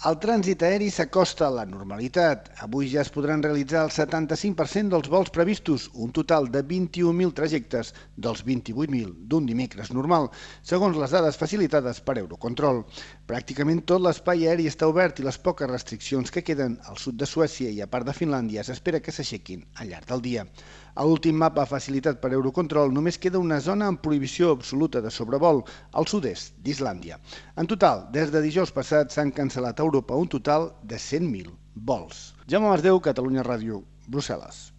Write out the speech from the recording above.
El trànsit aeri s'acosta a la normalitat. Avui ja es podran realitzar el 75% dels vols previstos, un total de 21.000 trajectes dels 28.000 d'un dimecres normal, segons les dades facilitades per Eurocontrol. Pràcticament tot l'espai aeri està obert i les poques restriccions que queden al sud de Suècia i a part de Finlàndia s'espera que s'aixequin al llarg del dia. A l'últim mapa facilitat per Eurocontrol només queda una zona amb prohibició absoluta de sobrevol, al sud-est d'Islàndia. En total, des de dijous passat s'han cancel·lat a Europa un total de 100.000 vols. Jaume Masdeu, Catalunya Ràdio, Brussel·les.